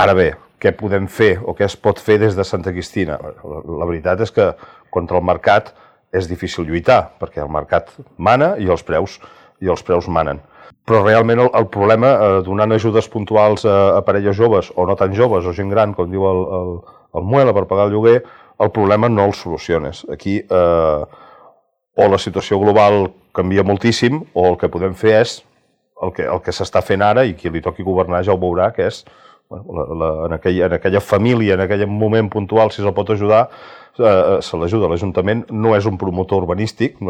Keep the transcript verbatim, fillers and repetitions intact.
Ara bé, què podem fer o què es pot fer des de Santa Cristina? La veritat és que contra el mercat és difícil lluitar, perquè el mercat mana i els preus, i els preus manen. Però realment el, el problema, eh, donant ajudes puntuals a, a parelles joves o no tan joves o gent gran, com diu el, el, el Muela, per pagar el lloguer, el problema no el soluciones. Aquí eh, o la situació global canvia moltíssim o el que podem fer és el que, el que s'està fent ara i qui li toqui governar ja ho veurà, que és bueno, la, la, en, aquella, en aquella família, en aquell moment puntual, si se'l pot ajudar, eh, se l'ajuda. L'Ajuntament no és un promotor urbanístic, no